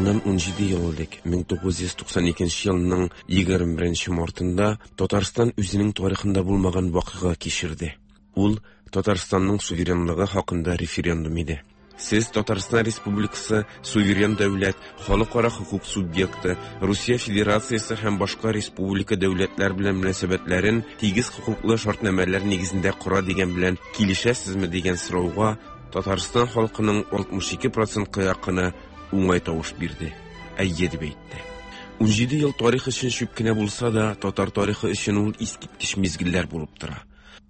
Моннан 17 ел элек, 1992 елның 21 мартында Татарстан үзенең тарихында булмаган вакыйга кичерде. Ул Татарстанның суверенлыгы хакында референдум иде. Сез Татарстан Республикасы суверен дәүләт, халыкара хокук субъекты, Русия Федерациясе һәм башка республика дәүләтләр белән мөнәсәбәтләрен тигез хокуклы шартнамәләр нигезендә кора дигән белән килешәсезме дигән сорауга Татарстан халкының 62 процентка якыны уңай тавыш бирде. Әйе дип әйтте. 17 ел тарих өчен чүп кенә булса да, татар тарихы өчен ул искиткеч мизгелләр булып тора.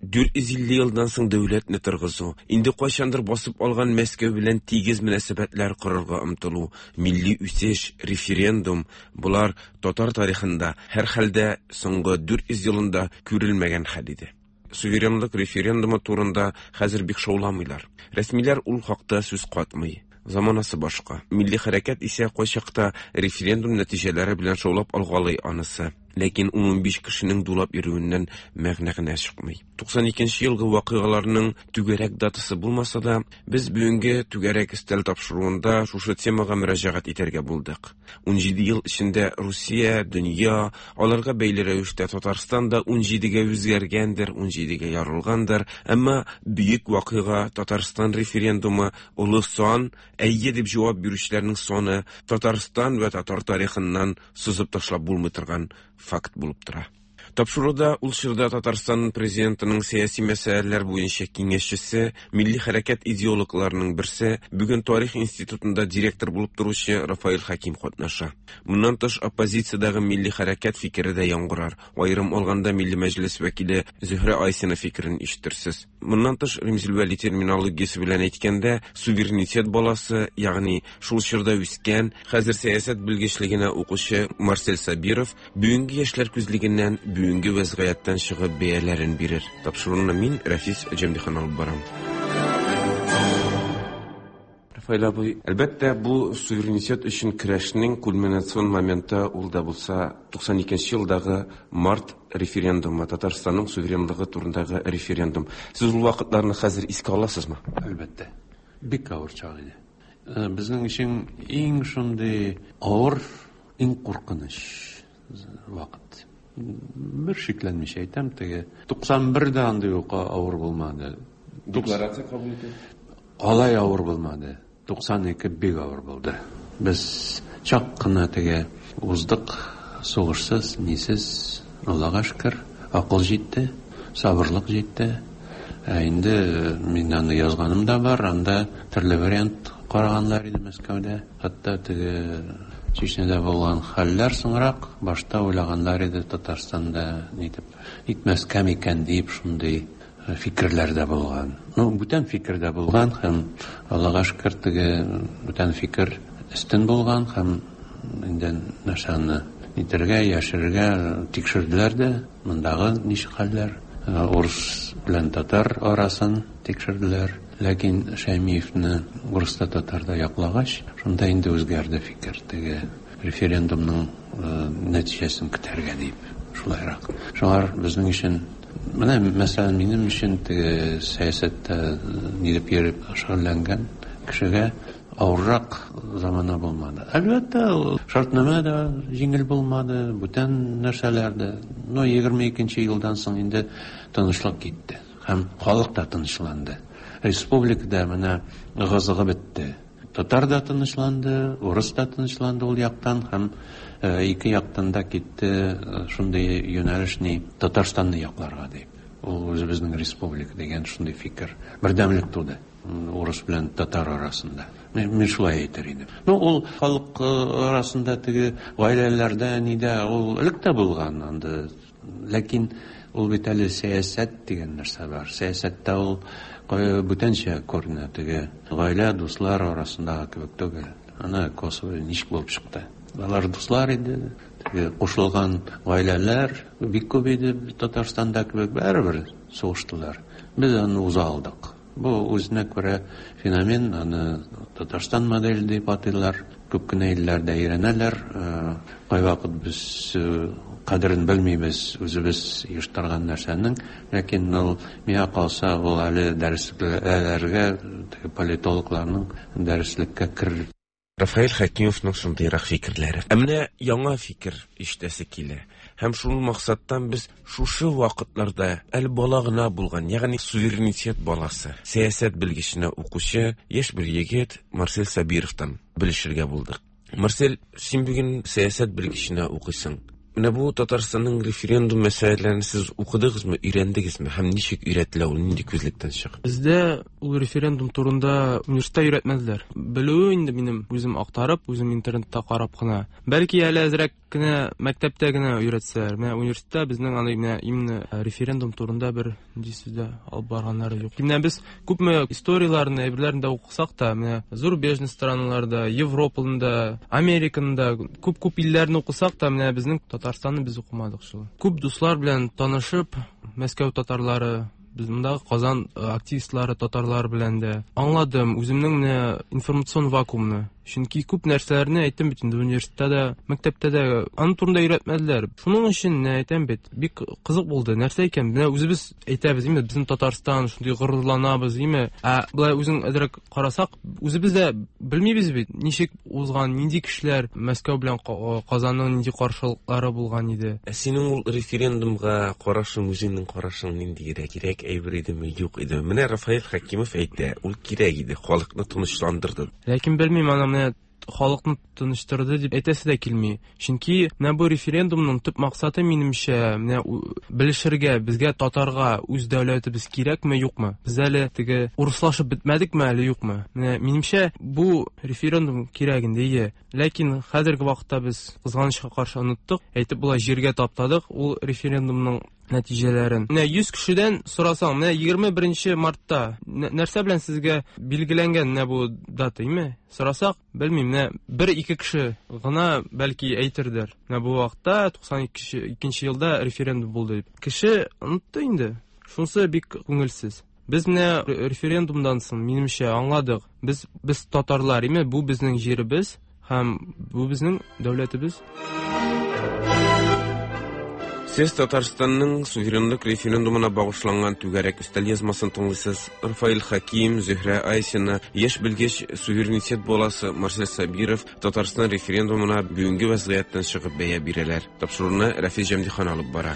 450 елдан соң дәүләтне торгызу, инде кайчандыр басып алган Мәскәү белән тигез мөнәсәбәтләр корырга омтылу, милли үсеш, референдум болар татар тарихында, һәрхәлдә соңгы 400 елында күрелмәгән хәл иде. Суверенлык референдумы турында хәзер бик шауламыйлар. Рәсмиләр ул хакта сүз катмый. Заманасы башка. Милли хәрәкәт исә кайчакта референдум нәтиҗәләре белән шаулап алгалый анысы. Ләкин 15 кешенең дулап йөрүеннән мәгънә генә чыкмый. 92 елгы вакыйгаларның түгәрәк датасы булмаса да, без бүгенге түгәрәк өстәл тапшыруында шушы темага мөрәҗәгать итәргә булдык. 17 ел эчендә Русия, дөнья, аларга бәйле рәвештә Татарстан да 17-гә үзгәргәндер, 17-гә ярылгандыр, әмма бөек вакыйга Татарстан референдумы олы сан, әйе дип җавап бирүчеләрнең саны Татарстан вә татар тарихыннан сызып ташлап булмый торган факт булып тора. Тапшыруда ул чорда Татарстан президентының сәяси мәсьәләләр буенча киңәшчесе, милли хәрәкәт идеологларының берсе, бүген Тарих институтында директор булып торучы Рафаэль Хәким катнаша. Моннан тыш оппозициядәге милли хәрәкәт фикере дә яңгырар. Аерым алганда Милли Мәҗлес вәкиле Зөһрә Айсина фикерен ишетерсез. Моннан тыш, Римзил Вәли терминологиясе белән әйткәндә, суверенитет баласы, ягъни шул чорда үскән, хәзер сәясәт белгечлегенә укучы Марсель Сабиров бүгенге яшьләр күзлегеннән бүгенге вәзгыятьтән чыгып бәяләрен бирер. Тапшыруны мин, Рәфис Җәмдихан алып барам. Рафаэль абый, әлбәттә, бу суверенитет өчен көрәшнең кульминацион моменты ул да булса 92 елдагы март референдумы, Татарстанның суверенлыгы турындагы референдум. Сез ул вакытларны хәзер искә аласызмы? Әлбәттә. Бик авыр чак иде. Э, безнең өчен иң шундый авыр, иң куркыныч вакыт. Бер шикләнмичә әйтәм, теге 91 дә андый ук авыр булмады. Декларация кабул итү. Алай авыр булмады. 92 бик авыр булды. Без чак кына теге уздык, сугышсыз, нисез, Аллага шөкер, акыл җитте, сабырлык җитте. Ә инде мин аны язганым да бар, анда төрле вариант караганнар иде Мәскәүдә. Хәтта теге Чечняда булган хәлләр соңрак, башта уйлаганнар иде Татарстанда нитеп итмәскә микән дип шундый фикерләр дә булган. Ну, бүтән фикер дә булган һәм Аллага шөкер, теге бүтән фикер өстен булган һәм инде нәрсәне нитергә, яшерергә тикшерделәр дә, мондагы ничек хәлләр, урыс белән татар арасын тикшерделәр. Ләкин Шәймиевне урыс та татар да яклагач, шунда инде үзгәрде фикер, теге референдумның нәтиҗәсен көтәргә дип, шулайрак. Шуңар безнең өчен менә, мәсәлән, минем өчен теге сәясәттә нидеп йөреп шөгыльләнгән кешегә авыррак замана булмады. Әлбәттә, шартнамә дә җиңел булмады, бүтән нәрсәләр дә. Но 22 елдан соң инде тынычлык китте. Һәм халык та тынычланды. Республикада менә ыгы-зыгы бетте. Татар да тынычланды, урыс та тынычланды ул яктан һәм ике яктан да китте шундый юнәлеш ни Татарстанны якларга дип. Ул үзебезнең республика дигән шундый фикер. Бердәмлек туды урыс белән татар арасында. Мин шулай әйтер идем. Ну, ул халык арасында теге гаиләләрдә нидә ул элек тә булган анда. Ләкин ул бит әле сәясәт дигән нәрсә бар. Сәясәттә ул бүтәнчә күренә, теге гаилә, дуслар арасындагы кебек түгел. Ана Косово ничек булып чыкты. Алар дуслар иде, теге кушылган гаиләләр бик күп иде Татарстанда кебек, барыбер сугыштылар. Без аны уза алдык. Бу үзенә күрә феномен, аны Татарстан моделе дип атыйлар. Күп кенә илләрдә өйрәнәләр. Кайвакыт без кадерен белмибез үзебез оештырган нәрсәнең, ләкин ул миңа калса, ул әле дәреслекләргә, теге политологларның дәреслеккә керер. Рафаэль Хәкимовның шундыйрак фикерләре. Ә менә яңа фикер ишетәсе килә. Һәм шул максаттан без шушы вакытларда әле бала гына булган, ягъни суверенитет баласы, сәясәт белгеченә укучы яшь бер егет Марсель Сабировтан белешергә булдык. Марсель, син бүген сәясәт белгеченә укыйсың. Менә бу Татарстанның референдум мәсьәләләрен сез укыдыгызмы, өйрәндегезме һәм ничек өйрәтелә ул, нинди күзлектән чыгып? Бездә ул референдум турында университетта өйрәтмәделәр. Белүе инде минем үзем актарып, үзем интернетта карап кына. Бәлки әле әзрәк кенә мәктәптә генә өйрәтсәләр. Менә университетта безнең аны менә именно референдум турында бер нинди сүз дә алып барганнары юк. Менә без күпме историяләрне, әйберләрне дә укысак та, менә зарубежный страналарда, Европаны да, Американы да, күп-күп илләрне укысак та, менә безнең Татарстанны без укымадык шул. Күп дуслар белән танышып, Мәскәү татарлары, без мондагы Казан активистлары, татарлар белән дә аңладым үземнең менә информацион вакуумны. Чөнки күп нәрсәләрне әйттем бит инде университетта да, мәктәптә дә аның турында өйрәтмәделәр. Шуның өчен менә әйтәм бит, бик кызык булды. Нәрсә икән? Менә үзебез әйтәбез, име, безнең Татарстан, шундый горурланабыз, име. Ә болай үзең әзрәк карасак, үзебез дә белмибез бит, ничек узган, нинди кешеләр Мәскәү белән Казанның нинди каршылыклары булган иде. Ә синең ул референдумга карашың, үзеңнең карашың ниндиерәк? Кирәк әйбер идеме, юк идеме? Менә Рафаэль Хәкимов әйтә, ул кирәк иде, халыкны тынычландырды. Ләкин белмим, аны менә халыкны тыныштырды дип әйтәсе дә килми. Чөнки менә бу референдумның төп максаты, минемчә, менә белешергә, безгә татарга үз дәүләтебез кирәкме, юкмы? Без әле теге урыслашып бетмәдекме әле, юкмы? Менә минемчә, бу референдум кирәк инде, ие. Ләкин хәзерге вакытта без кызганычка каршы оныттык, әйтеп була, җиргә таптадык ул референдумның нәтиҗәләрен. Менә 100 кешедән сорасаң, менә 21 мартта нәрсә белән сезгә билгеләнгән менә бу дата, име? Сорасак, белмим, менә бер-ике кеше гына бәлки әйтердер. Менә бу вакытта 92 елда референдум булды дип. Кеше онытты инде. Шунысы бик күңелсез. Без менә референдумдан соң, минемчә, аңладык. Без без татарлар, име, бу безнең җиребез һәм бу безнең дәүләтебез. Сез Татарстанның суверенлык референдумына багышланган түгәрәк өстәл язмасын тыңлыйсыз. Рафаэль Хаким, Зөһрә Айсина, яшь белгеч, суверенитет баласы Марсель Сабиров Татарстан референдумына бүгенге вәзгыятьтән чыгып бәя бирәләр. Тапшыруны Рәфис Җәмдихан алып бара.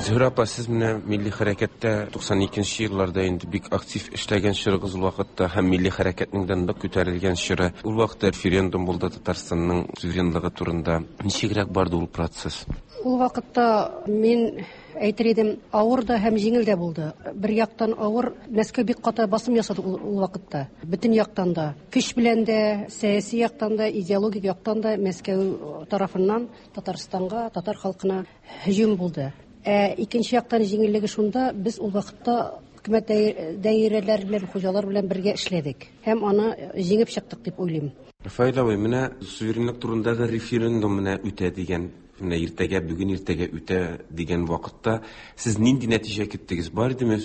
Зөһрә апа, сез менә милли хәрәкәттә 92 елларда инде бик актив эшләгән чорыгыз ул вакытта һәм милли хәрәкәтнең дә нык күтәрелгән чоры. Ул вакытта референдум булды Татарстанның суверенлыгы турында. Ничегрәк барды ул процесс? Ул вакытта мин әйтер идем, авыр да һәм җиңел дә булды. Бер яктан авыр, Мәскәү бик каты басым ясады ул вакытта. Бөтен яктан да. Көч белән дә, сәяси яктан да, идеологик яктан да Мәскәү тарафыннан Татарстанга, татар халкына һөҗүм булды. Ә икенче яктан җиңеллеге шунда, без ул вакытта хөкүмәт даирәләре белән, хуҗалар белән бергә эшләдек һәм аны җиңеп чыктык дип уйлыйм. Рафаэль абый, менә суверенлык турындагы референдум менә үтә дигән, менә иртәгә, бүген иртәгә үтә дигән вакытта сез нинди нәтиҗә көттегез? Бар идеме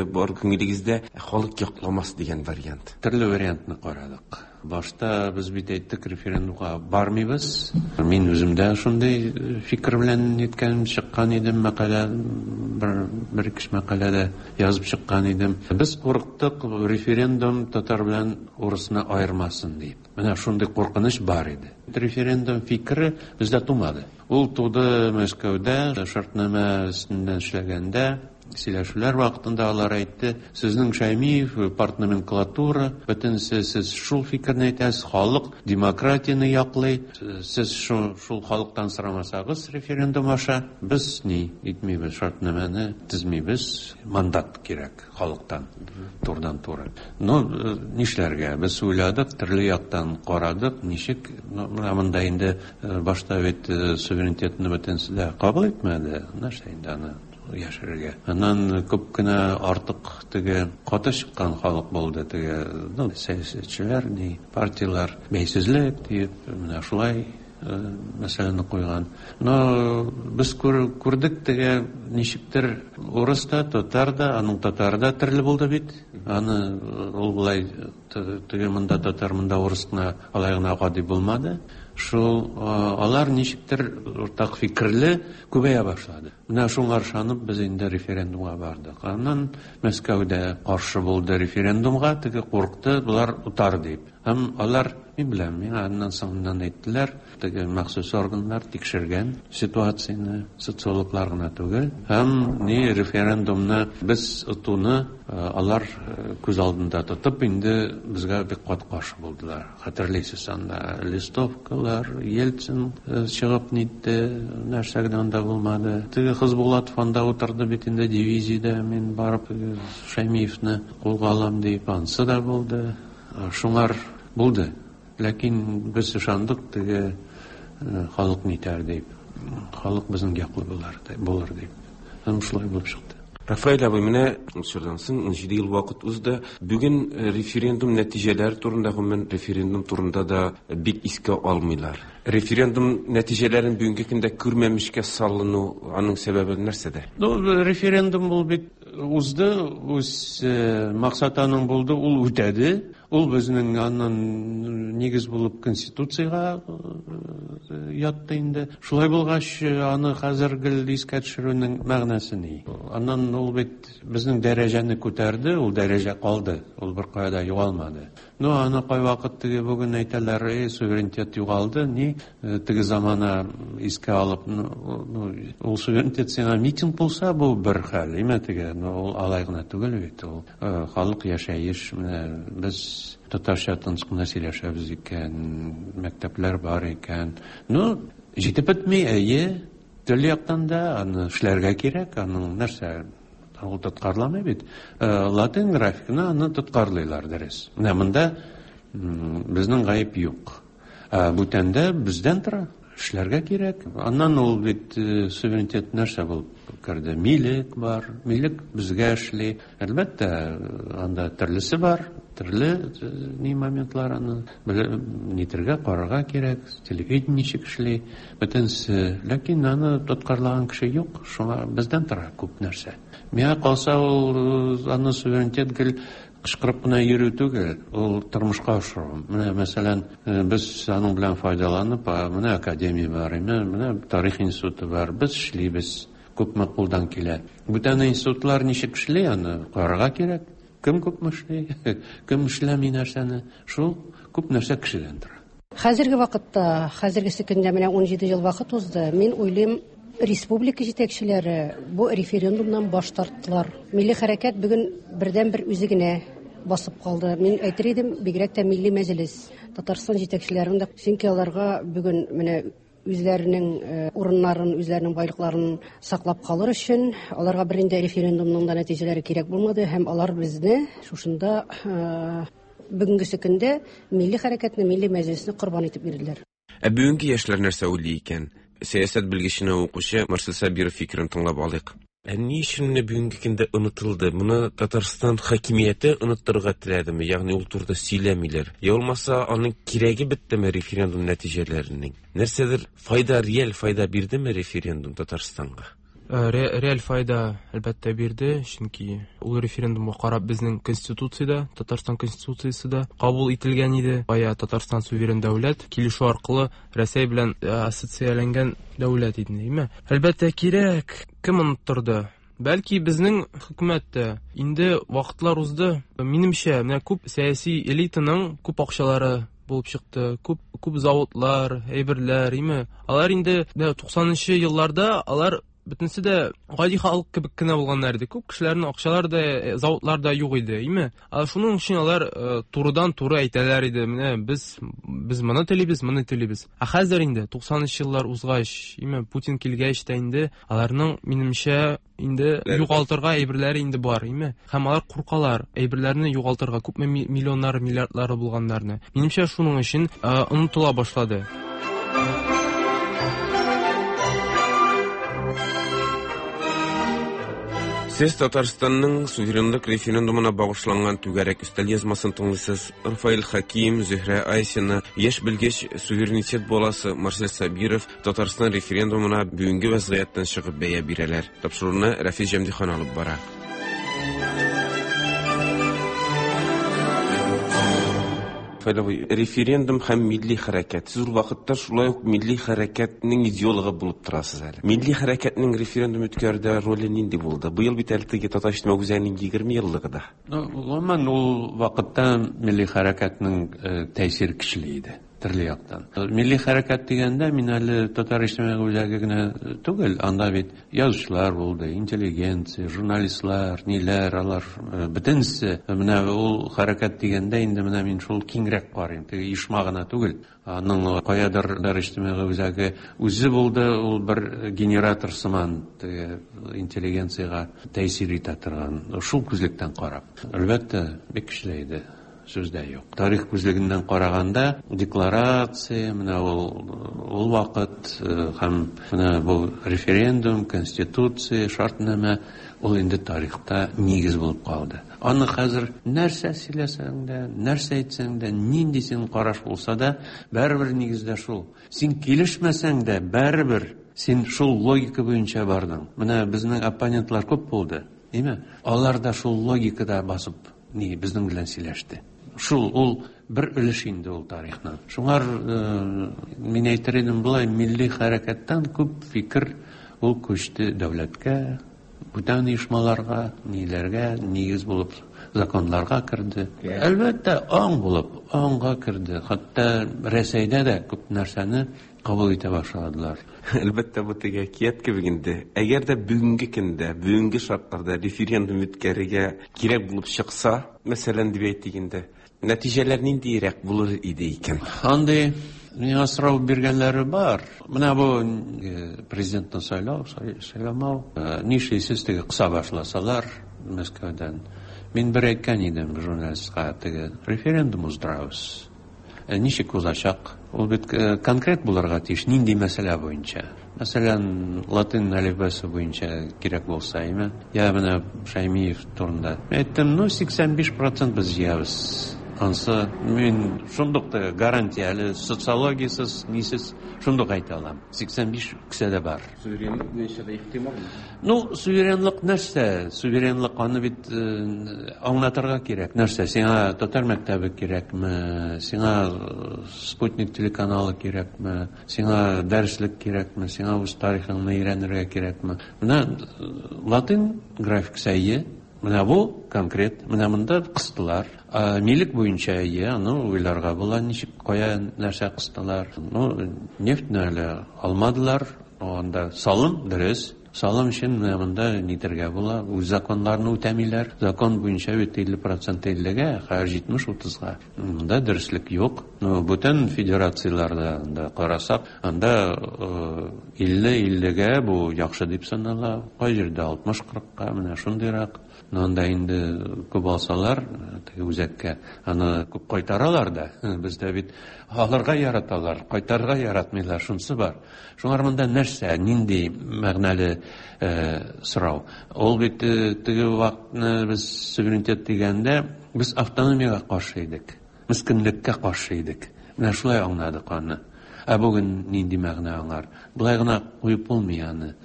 бар күңелегездә халык якламас дигән вариант? Төрле вариантны карадык. Башта без бит әйттек, референдумга бармыйбыз. Мин үзем дә шундый фикер белән ниткән чыккан идем, мәкалә бер ике мәкалә дә язып чыккан идем. Без курыктык, референдум татар белән урысны аермасын дип. Менә шундый куркыныч бар иде. Референдум фикере бездә тумады. Ул туды Мәскәүдә, шартнамә өстеннән эшләгәндә, сөйләшүләр вакытында алар әйтте, сезнең Шәймиев, партноменклатура, бөтенесе сез шул фикерне әйтәсез, халык демократияне яклый, сез шул халыктан сорамасагыз референдум аша, без ни итмибез, шартнамәне төзмибез, мандат кирәк халыктан, турыдан-туры. Ну, нишләргә? Без уйладык, төрле яктан карадык, ничек, ну, менә монда инде башта бит суверенитетны бөтенесе дә кабул итмәде, нәрсә инде аны яшерергә. Аннан күп кенә артык теге каты чыккан халык булды, теге, ну, сәясәтчеләр, ни, партияләр бәйсезлек диеп, менә шулай мәсьәләне куйган. Но без күрдек теге ничектер урыс та, татар да, аның татары да төрле булды бит. Аны ул болай теге монда татар, монда урыс кына алай гына гади булмады. Шул алар ничектер уртак фикерле күбәя башлады. Менә шуңа ышанып без инде референдумга бардык. Аннан Мәскәүдә каршы булды референдумга, теге курыкты, болар отар дип. Һәм алар, мин беләм, миңа аннан соңыннан әйттеләр, теге махсус органнар тикшергән ситуацияне, социологлар гына түгел. Һәм ни референдумны без отуны алар күз алдында тотып, инде безгә бик каты каршы булдылар. Хәтерлисез, анда листовкалар, Ельцин чыгып нитте, нәрсә генә анда булмады. Теге Хызбулатов анда утырды бит инде дивизиядә, мин барып Шәймиевне кулга алам дип, ансы да булды. Шуңар булды. Ләкин без ышандык, теге халык нитәр дип. Халык безнең яклы булыр дип. Һәм шулай булып чыкты. Рафаэль абый, менә ул чордан соң 17 ел вакыт узды. Бүген референдум нәтиҗәләре турында, гомумән, референдум турында да бик искә алмыйлар. Референдум нәтиҗәләрен бүгенге көндә күрмәмешкә салыну, аның сәбәбе нәрсәдә? Ну, референдум ул бит узды, үз максаты аның булды, ул үтәде. Ул безнең аннан нигез булып Конституциягә ятты инде. Шулай булгач, аны хәзер гел искә төшерүнең мәгънәсе ни? Аннан ул бит безнең дәрәҗәне күтәрде, ул дәрәҗә калды, ул беркая да югалмады. Ну, аны кайвакыт теге бүген әйтәләр, эй, суверенитет югалды, ни, теге замана искә алып, ну, ул суверенитет сиңа митинг булса, бу бер хәл, име теге, но ул алай гына түгел бит, ул халык яшәеш, менә без татарча тыныч кына сөйләшәбез икән, мәктәпләр бар икән. Ну, җитеп бетми, әйе, төрле яктан да аны эшләргә кирәк, аның нәрсә, ул тоткарламый бит. Латин графикны аны тоткарлыйлар, дөрес. Менә монда безнең гаеп юк. Ә бүтәндә бездән тора, эшләргә кирәк. Аннан ул бит суверенитет нәрсә булып керде? Милек бар, милек безгә эшли. Әлбәттә, анда төрлесе бар, төрле ни моментлар аны нитергә, карарга кирәк, телевидение ничек эшли, бөтенесе. Ләкин аны тоткарлаган кеше юк, шуңа бездән тора күп нәрсә. Миңа калса, ул аны суверенитет гел кычкырып кына йөрү түгел, ул тормышка ашыру. Менә, мәсәлән, без аның белән файдаланып, менә академия бар, менә тарих институты бар, без эшлибез, күпме кулдан килә. Бүтән институтлар ничек эшли, аны карарга кирәк. Кем күпме эшли, кем эшләми нәрсәне, шул күп нәрсә кешедән тора. Хәзерге вакытта, хәзергесе көндә менә 17 ел вакыт узды. Мин уйлыйм, республика җитәкчеләре бу референдумнан баш тарттылар. Милли хәрәкәт бүген бердән-бер үзе генә басып калды. Мин әйтер идем, бигрәк тә Милли мәҗлес, Татарстан җитәкчеләренең дә, чөнки аларга бүген менә үзләренең урыннарын, үзләренең байлыкларын саклап калыр өчен аларга бернинди референдумның да нәтиҗәләре кирәк булмады, һәм алар безне шушында бүгенгесе көндә милли хәрәкәтне, милли мәҗлесне корбан итеп бирделәр. Ә бүгенге яшьләр нәрсә уйлый икән? Сәясәт белгеченә укучы Марсель Сабиров фикерен тыңлап алыйк. Ә ни өчен менә бүгенге көндә онытылды? Моны Татарстан хакимияте оныттырырга теләдеме? Ягъни ул турыда сөйләмиләр. Я булмаса, аның кирәге беттеме референдум нәтиҗәләренең? Нәрсәдер файда, реаль файда бирдеме референдум Татарстанга? Реаль файда әлбәттә бирде, чөнки ул референдумга карап безнең конституциядә, Татарстан конституциясе дә кабул ителгән иде. Бая Татарстан суверен дәүләт, килешү аркылы Рәсәй белән ассоциацияләнгән дәүләт иде, димме? Әлбәттә кирәк. Кем оныттырды? Бәлки безнең хөкүмәт тә. Инде вакытлар узды. Минемчә, менә күп сәяси элитаның күп акчалары булып чыкты, күп, күп заводлар, әйберләр, име? Алар инде менә туксанынчы елларда алар бөтенесе дә гади халык кебек кенә булганнар иде. Күп кешеләрнең акчалары да, заводлар да юк иде, име? Ә шуның өчен алар турыдан-туры әйтәләр иде, менә без моны телибез, моны телибез. Ә хәзер инде туксанынчы еллар узгач, име, Путин килгәч тә инде аларның, минемчә, инде югалтырга әйберләре инде бар, име? Һәм алар куркалар әйберләрне югалтырга, күпме миллионнары, миллиардлары булганнарны. Минемчә, шуның өчен онытыла башлады. Сез Татарстанның суверенлык референдумына багышланган түгәрәк өстәл язмасын тыңлыйсыз. Рафаэль Хаким, Зөһрә Айсина, яшь белгеч, суверенитет баласы Марсель Сабиров Татарстан референдумына бүгенге вазгыятьтән чыгып бәя бирәләр. Тапшыруны Рафис Җәмдихан алып бара. Фаил абый, референдум һәм милли хәрәкәт. Сез ул вакытта шулай ук милли хәрәкәтнең идеологы булып торасыз әле. Милли хәрәкәтнең референдум үткәрүдә роле нинди булды? Быел бит әле теге Татар иҗтимагый үзәгенең 20 еллыгы да. Ну, гомумән, ул вакытта милли хәрәкәтнең тәэсире көчле иде. Төрле яктан. Милли хәрәкәт дигәндә, мин әле Татар иҗтимагый үзәге генә түгел, анда бит язучылар булды, интеллигенция, журналистлар, ниләр, алар бөтенесе. Менә ул хәрәкәт дигәндә инде менә мин шул киңрәк карыйм. Теге оешма гына түгел. Аның каядыр Татар иҗтимагый үзәге үзе булды, ул бер генератор сыман теге интеллигенциягә тәэсир итә торган. Шул күзлектән карап. Әлбәттә, бик көчле иде. Сүз дә юк. Тарих күзлегеннән караганда, декларация, менә ул вакыт һәм менә бу референдум, конституция, шартнамә, ул инде тарихта нигез булып калды. Аны хәзер нәрсә сөйләсәң дә, нәрсә әйтсәң дә, нинди синең караш булса да, барыбер нигездә шул. Син килешмәсәң дә, барыбер син шул логика буенча бардың. Менә безнең оппонентлар күп булды, димме? Алар да шул логикада басып ни безнең белән сөйләште. Шул ул бер өлеш инде ул тарихның. Шуңар мин әйтер идем болай, милли хәрәкәттән күп фикер ул күчте дәүләткә, бүтән оешмаларга, ниләргә, нигез булып законнарга керде. Әлбәттә, аң булып, аңга керде. Хәтта Рәсәйдә дә күп нәрсәне кабул итә башладылар. Әлбәттә, бу теге әкият кебек инде. Әгәр дә бүгенге көндә, бүгенге шартларда референдум үткәрергә кирәк булып чыкса, мәсәлән, дип әйтик инде, нәтиҗәләр ниндирәк булыр иде икән? Андый миңа сорау биргәннәре бар. Менә бу президентны сайлау, сайламау, нишлисез теге кыса башласалар Мәскәүдән. Мин бер әйткән идем журналистка, теге референдум уздырабыз. Ничек узачак? Ул бит конкрет булырга тиеш, нинди мәсьәлә буенча. Мәсәлән, латин әлифбасы буенча кирәк булса, әйме? Я менә Шаймиев турында. Әйттем, ну, 85% без җыябыз. Ансы мин шундук та гарантия, әле социологиясез, нисез шундук әйтә алам. 85 кесәдә бар. Суверенлык буенча да ихтимал. Ну, суверенлык нәрсә? Суверенлык аны бит аңлатырга кирәк. Нәрсә? Сиңа татар мәктәбе кирәкме? Сиңа спутник телеканалы кирәкме? Сиңа дәреслек кирәкме? Сиңа үз тарихыңны өйрәнергә кирәкме? Менә латин графикасы әйе. Менә бу конкрет. Менә монда кыстылар. Милек буенча әйе, аны уйларга була, ничек, кая нәрсә кыстылар. Ну, нефтьне әле алмадылар. Анда салым дөрес. Салым өчен менә монда нитергә була. Үз законнарны үтәмиләр. Закон буенча бит 50% 50-гә, хәзер 70-30-га. Монда дөреслек юк. Ну, бүтән федерацияләрдә анда карасак, анда 50-50-гә бу яхшы дип санала. Кай җирдә 60-40-ка, менә шундыйрак. Но анда инде күп алсалар, теге үзәккә, аны күп кайтаралар да. Бездә бит алырга яраталар, кайтарырга яратмыйлар, шунысы бар. Шуңар монда нәрсә, нинди мәгънәле сорау? Ул бит теге вакытны без суверенитет дигәндә, без автономиягә каршы идек, мескенлеккә каршы идек. Менә шулай аңладык аны. Ә бүген нинди мәгънә аңар? Болай гына куеп булмый аны.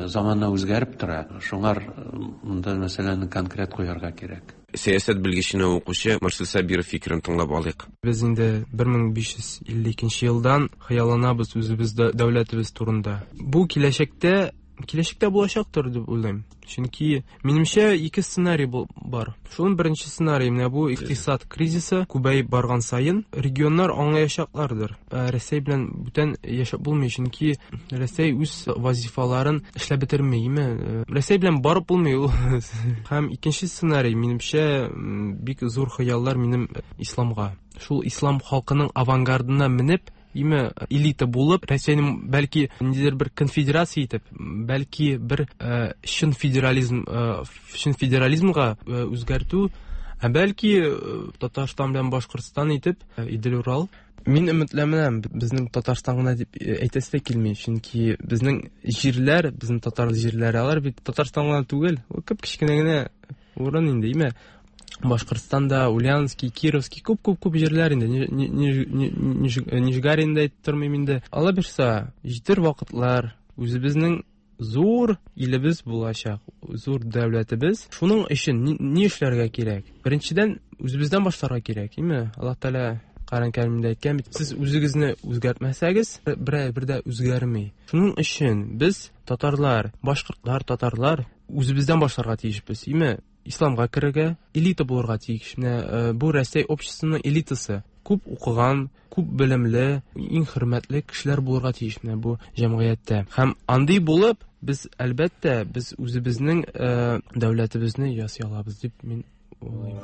Замана үзгәреп тора. Шуңар монда мәсьәләне конкрет куярга кирәк. Сәясәт белгеченә укучы Марсель Сабиров фикерен тыңлап алыйк. Без инде 1552 елдан хыялланабыз үзебез дәүләтебез турында. Бу киләчәктә булачактыр дип уйлыйм. Чөнки минемчә ике сценарий бар. Шуның беренче сценарий менә бу икътисад кризисы күбәеп барган саен регионнар аңлаячаклардыр. Рәсәй белән бүтән яшәп булмый, чөнки Рәсәй үз вазифаларын эшләп бетерми, име? Рәсәй белән барып булмый ул. Һәм икенче сценарий минемчә бик зур хыяллар минем исламга. Шул ислам халкының авангардына менеп, име элита булып, Рәсәйнең бәлки ниндидер бер конфедерация итеп, бәлки бер чын федерализм, чын федерализмга үзгәртү, ә бәлки Татарстан белән Башкортстан итеп, Идел-Урал. Мин өметләнәм, безнең Татарстан гына дип әйтәсе дә килми, чөнки безнең җирләр, безнең татар җирләре, алар бит Татарстан гына түгел, ул кеп кечкенә генә урын инде, име? Башкортстанда, Ульяновский, Кировский, күп-күп-күп җирләр инде. Нижгаринда әйтеп тормыйм инде. Алла бирса, җитер вакытлар, үзебезнең зур илебез булачак, зур дәүләтебез. Шуның өчен ни эшләргә кирәк? Беренчедән, үзебездән башларга кирәк, име? Аллаһ Тәгалә Коръән Кәримдә әйткән бит, сез үзегезне үзгәртмәсәгез, берәр бер дә үзгәрми. Шуның өчен без татарлар, башкортлар, татарлар үзебездән башларга тиешбез. Име исламга керергә, элита булырга тиеш. Менә э, бу Рәсәй обществосының элитасы. Күп укыган, күп белемле, иң хөрмәтле кешеләр булырга тиеш менә бу җәмгыятьтә. Һәм андый булып, без әлбәттә, без үзебезнең э, дәүләтебезне ясый алабыз дип мин уйлыйм.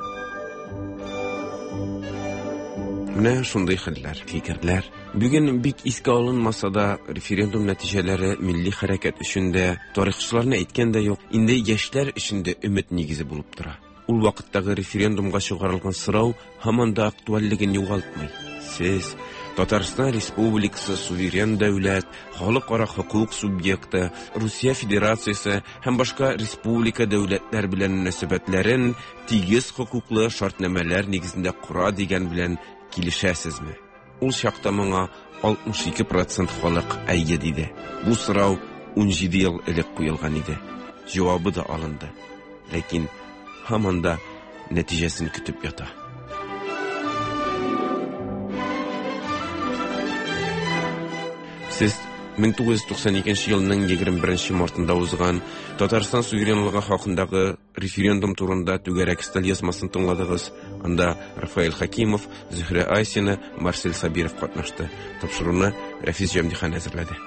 Менә шундый хәлләр, фикерләр. Бүген бик искә алынмаса да, референдум нәтиҗәләре милли хәрәкәт өчен дә, тарихчыларны әйткән дә юк, инде яшьләр өчен дә өмет нигезе булып тора. Ул вакыттагы референдумга чыгарылган сорау һаман да актуальлеген югалтмый. Сез, Татарстан Республикасы суверен дәүләт, халыкара хокук субъекты, Русия Федерациясе һәм башка республика дәүләтләр белән мөнәсәбәтләрен тигез хокуклы шартнамәләр нигезендә кора дигән белән килешәсезме? Ул чакта моңа 62% халык әйе диде. Бу сорау 17 ел элек куелган иде. Җавабы да алынды. Ләкин һаман да нәтиҗәсен көтеп ята. Сез 1992 елның 21 мартында узган Татарстан суверенлыгы хакындагы референдум турында түгәрәк өстәл язмасын тыңладыгыз. Анда Рафаэль Хакимов, Зөһрә Айсина, Марсель Сабиров катнашты. Тапшыруны Рәфис Җәмдихан әзерләде.